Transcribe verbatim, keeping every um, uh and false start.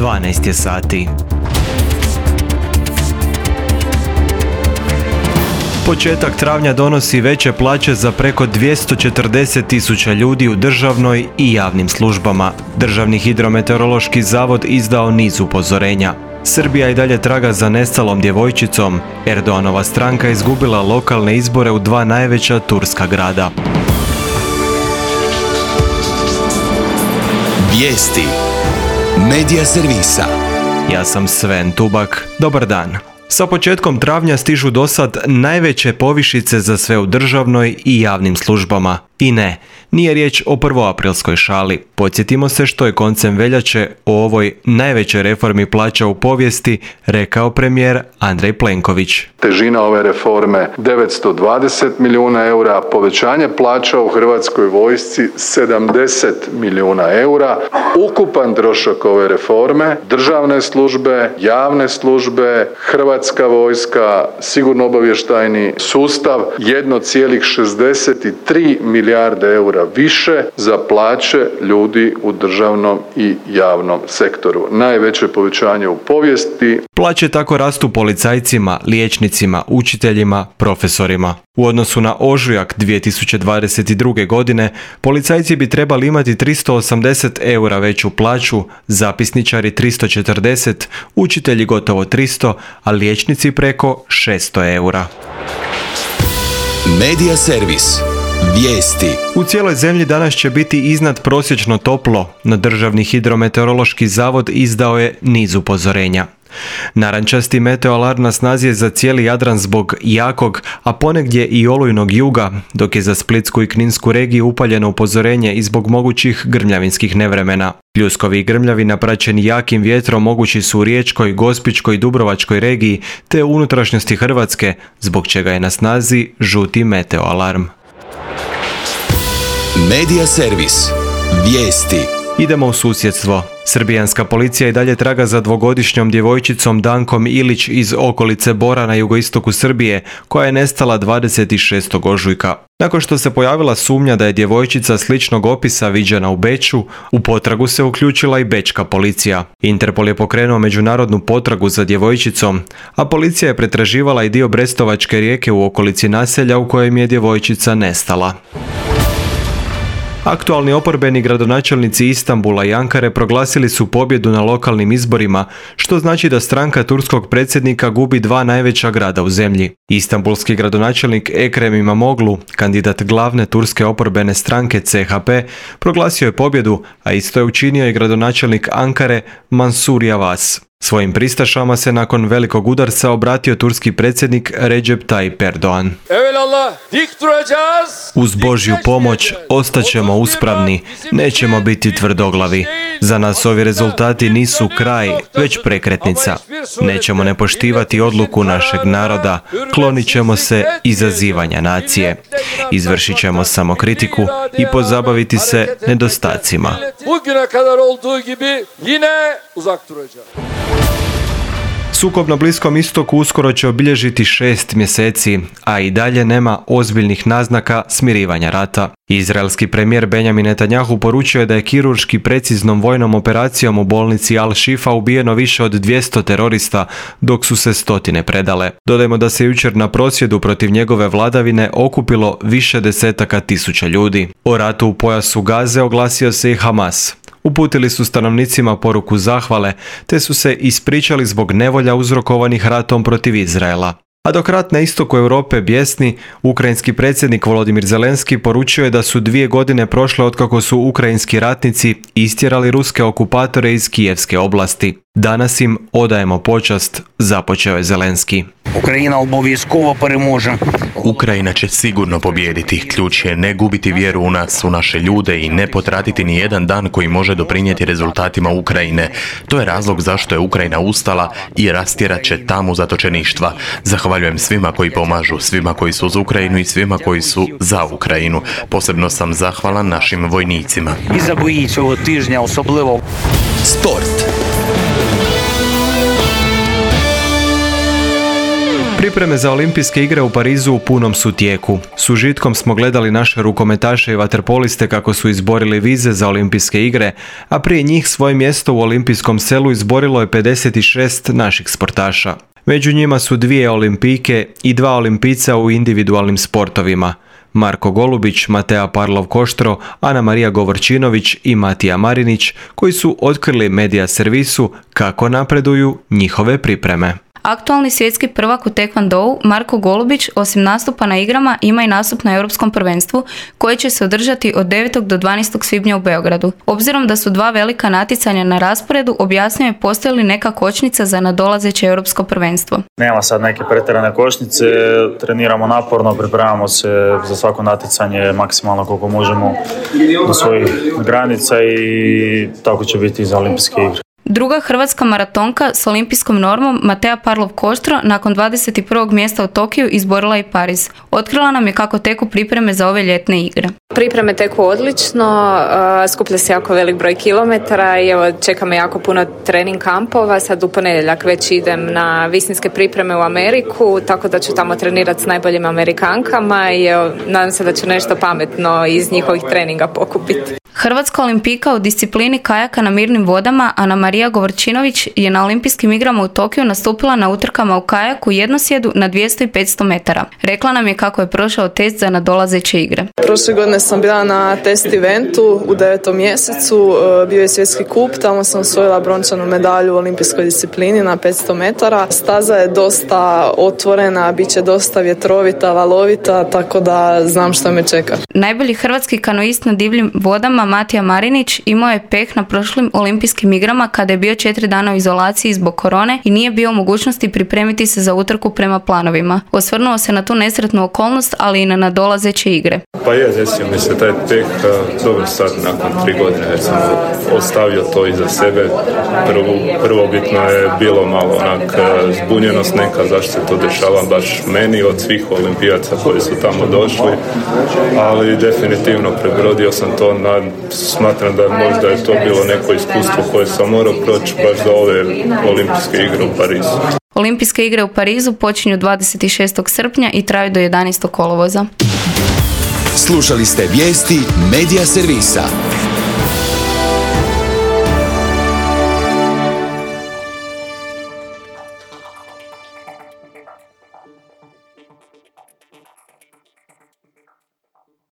dvanaest je sati. Početak travnja donosi veće plaće za preko dvjesto četrdeset tisuća ljudi u državnoj i javnim službama. Državni hidrometeorološki zavod izdao niz upozorenja. Srbija i dalje traga za nestalom djevojčicom. Erdoganova stranka izgubila lokalne izbore u dva najveća turska grada. Vijesti Medija servisa. Ja sam Sven Tubak. Dobar dan. Sa početkom travnja stižu dosad najveće povišice za sve u državnoj i javnim službama. I ne, nije riječ o prvoaprilskoj šali. Podsjetimo se što je koncem veljače o ovoj najvećoj reformi plaća u povijesti rekao premijer Andrej Plenković. Težina ove reforme devetsto dvadeset milijuna eura, povećanje plaća u Hrvatskoj vojsci sedamdeset milijuna eura. Ukupan trošak ove reforme, državne službe, javne službe, Hrvatska vojska, sigurno-obavještajni sustav jedan zarez šezdeset tri milijarde eura više za plaće ljudi u državnom i javnom sektoru. Najveće povećanje u povijesti. Plaće tako rastu policajcima, liječnicima, učiteljima, profesorima. U odnosu na ožujak dvije tisuće dvadeset druge. godine, policajci bi trebali imati tristo osamdeset eura veću plaću, zapisničari tristo četrdeset, učitelji gotovo tristo, a liječnici preko šesto eura. Medija servis. Vijesti. U cijeloj zemlji danas će biti iznad prosječno toplo, no Državni hidrometeorološki zavod izdao je niz upozorenja. Narančasti meteoalarm na snazi je za cijeli Jadran zbog jakog, a ponegdje i olujnog juga, dok je za Splitsku i Kninsku regiju upaljeno upozorenje i zbog mogućih grmljavinskih nevremena. Pljuskovi i grmljavi napraćeni jakim vjetrom mogući su u Riječkoj, Gospićkoj i Dubrovačkoj regiji te u unutrašnjosti Hrvatske, zbog čega je na snazi žuti meteoalarm. Medija servis. Vijesti. Idemo u susjedstvo. Srbijanska policija i dalje traga za dvogodišnjom djevojčicom Dankom Ilić iz okolice Bora na jugoistoku Srbije, koja je nestala dvadeset šestog ožujka. Nakon što se pojavila sumnja da je djevojčica sličnog opisa viđena u Beču, u potragu se uključila i bečka policija. Interpol je pokrenuo međunarodnu potragu za djevojčicom, a policija je pretraživala i dio Brestovačke rijeke u okolici naselja u kojem je djevojčica nestala. Aktualni oporbeni gradonačelnici Istanbula i Ankare proglasili su pobjedu na lokalnim izborima, što znači da stranka turskog predsjednika gubi dva najveća grada u zemlji. Istanbulski gradonačelnik Ekrem Imamoglu, kandidat glavne turske oporbene stranke C H P, proglasio je pobjedu, a isto je učinio i gradonačelnik Ankare Mansur Yavaş. Svojim pristašama se nakon velikog udarca obratio turski predsjednik Recep Tayyip Erdogan. Uz Božju pomoć ostaćemo uspravni, nećemo biti tvrdoglavi. Za nas ovi rezultati nisu kraj, već prekretnica. Nećemo ne poštivati odluku našeg naroda, klonit ćemo se izazivanja nacije. Izvršit ćemo samokritiku i pozabaviti se nedostacima. Sukob na Bliskom istoku uskoro će obilježiti šest mjeseci, a i dalje nema ozbiljnih naznaka smirivanja rata. Izraelski premijer Benjamin Netanjahu poručio je da je kirurški preciznom vojnom operacijom u bolnici Al-Shifa ubijeno više od dvjesto terorista, dok su se stotine predale. Dodajmo da se jučer na prosvjedu protiv njegove vladavine okupilo više desetaka tisuća ljudi. O ratu u pojasu Gaze oglasio se i Hamas. Uputili su stanovnicima poruku zahvale, te su se ispričali zbog nevolja uzrokovanih ratom protiv Izraela. A dok rat na istoku Europe bjesni, ukrajinski predsjednik Volodimir Zelenski poručio je da su dvije godine prošle otkako su ukrajinski ratnici istjerali ruske okupatore iz Kijevske oblasti. Danas im odajemo počast, započeo je Zelenski. Ukrajina obovijezkovo переможе. Ukrajina će sigurno pobijediti. Ključ je ne gubiti vjeru u nas, u naše ljude i ne potratiti ni jedan dan koji može doprinijeti rezultatima Ukrajine. To je razlog zašto je Ukrajina ustala i rastjerat će tamu zatočeništva. Zahvaljujem svima koji pomažu, svima koji su uz Ukrajinu i svima koji su za Ukrajinu. Posebno sam zahvalan našim vojnicima. I za bої цього тижня особливо. Sport. Pripreme za olimpijske igre u Parizu u punom su tijeku. S užitkom smo gledali naše rukometaše i vaterpoliste kako su izborili vize za olimpijske igre, a prije njih svoje mjesto u olimpijskom selu izborilo je pedeset šest naših sportaša. Među njima su dvije olimpijke i dva olimpijca u individualnim sportovima. Marko Golubić, Matea Parlov-Koštro, Ana Marija Govorčinović i Matija Marinić, koji su otkrili Media servisu kako napreduju njihove pripreme. Aktualni svjetski prvak u tekvondou Marko Golubić osim nastupa na igrama ima i nastup na Europskom prvenstvu koje će se održati od devetog do dvanaestog svibnja u Beogradu. Obzirom da su dva velika natjecanja na rasporedu, objasnio je postoji li neka kočnica za nadolazeće Europsko prvenstvo. Nema sad neke pretjerane kočnice, treniramo naporno, pripremamo se za svako natjecanje maksimalno koliko možemo do svojih granica i tako će biti i za olimpijske igre. Druga hrvatska maratonka s olimpijskom normom Matea Parlov-Koštro nakon dvadeset prvog mjesta u Tokiju izborila i Pariz. Otkrila nam je kako teku pripreme za ove ljetne igre. Pripreme teku odlično, skuplja se jako velik broj kilometara i evo čeka me jako puno trening kampova. Sad u ponedjeljak već idem na visinske pripreme u Ameriku, tako da ću tamo trenirati s najboljim Amerikankama i evo, nadam se da ću nešto pametno iz njihovih treninga pokupiti. Hrvatska olimpijka u disciplini kajaka na mirnim vodama Ana Marija Govorčinović je na olimpijskim igrama u Tokiju nastupila na utrkama u kajaku jednosjedu na dvjesto i petsto metara. Rekla nam je kako je prošao test za nadolazeće igre. Prošle godine sam bila na test eventu u devetom mjesecu, bio je svjetski kup, tamo sam osvojila brončanu medalju u olimpijskoj disciplini na petsto metara. Staza je dosta otvorena, bit će dosta vjetrovita, valovita, tako da znam što me čeka. Najbolji hrvatski kanoist na divljim vodama Matija Marinić imao je peh na prošlim olimpijskim igrama kada je bio četiri dana u izolaciji zbog korone i nije bio u mogućnosti pripremiti se za utrku prema planovima. Osvrnuo se na tu nesretnu okolnost, ali i na nadolazeće igre. Pa je, desio mi se taj peh, dobro sad nakon tri godine već sam ostavio to iza sebe. Prvo, prvobitno je bilo malo onak zbunjenost neka zašto se to dešava baš meni od svih olimpijaca koji su tamo došli, ali definitivno prebrodio sam to, na, smatram da možda je to bilo neko iskustvo koje sam morao proći baš za ove olimpijske igre u Parizu. Olimpijske igre u Parizu počinju dvadeset šestog srpnja i traju do jedanaestog kolovoza. Slušali ste vijesti Media servisa.